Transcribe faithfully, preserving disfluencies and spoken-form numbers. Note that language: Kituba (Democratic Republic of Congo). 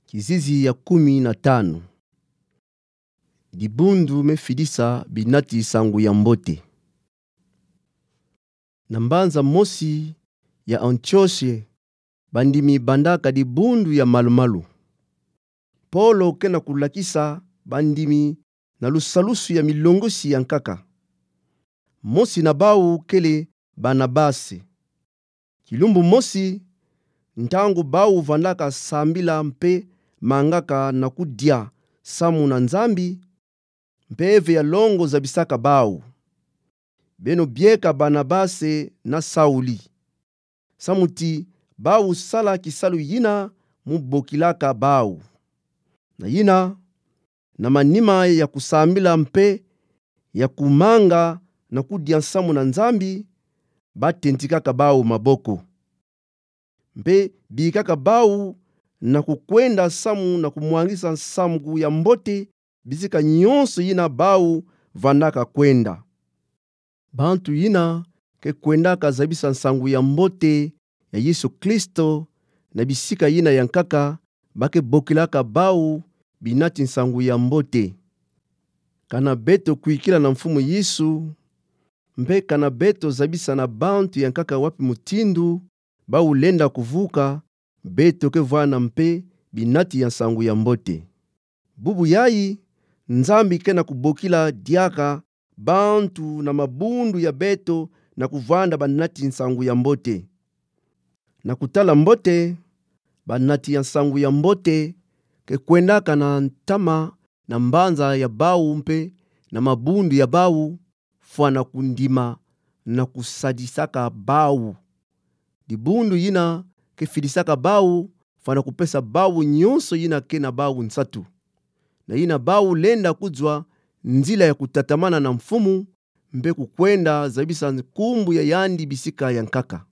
Kizizi ya kumi na tanu. Dibundu mefidisa binati nsangu ya mbote. Na mbanza mosi ya Antioshe, bandimi bandaka dibundu ya malu-malu. Polo kena kulakisa bandimi na lusalusu ya milongosi ya nkaka. Mosi na bau kele Banabase. Kilumbu mosi, ntangu bau vandaka sambila mpe mangaka na kudia samu na Nzambi, mpeve ya longo zabisaka bau: Beno bieka Banabase na Sauli. Samu ti bau sala kisalu yina mu bokilaka bau. Na yina, na manima ya kusambila mpe ya kumanga na kudia samu na Nzambi, batentikaka bau maboko. Mpe bikaka bau na kukwenda samu na kumwangisa nsangu ya mbote bisika nyonso yina bau vandaka kwenda. Bantu yina ke kwendaka zabisa nsangu ya mbote ya Yesu Kristo na bisika yina ya nkaka, ba ke bokilaka bau binati nsangu ya mbote. Kana beto kwikila na Mfumu Yesu, mpe kana beto zabisa na bantu ya nkaka wapi mutindu bau lenda kuvuka, beto ke vwanda mpe binati ya nsangu ya mbote. Bubu yayi, Nzambi kena kubokila diaka bantu na mabundu ya beto na kuvwanda banati nsangu ya mbote. Na kutala mbote, banati ya nsangu ya mbote ke kwendaka na ntama na mbanza ya bau mpe na mabundu ya bau, fwana kundima na kusadisaka bau. Dibundu yina ke fidisaka bau, fwana kupesa bau nyonso yina ke na bau nsatu. Na yina bau lenda kuzwa nzila ya kutatamana na Mfumu, mpe kukwenda zabisa nkumbu ya yandi bisika ya nkaka.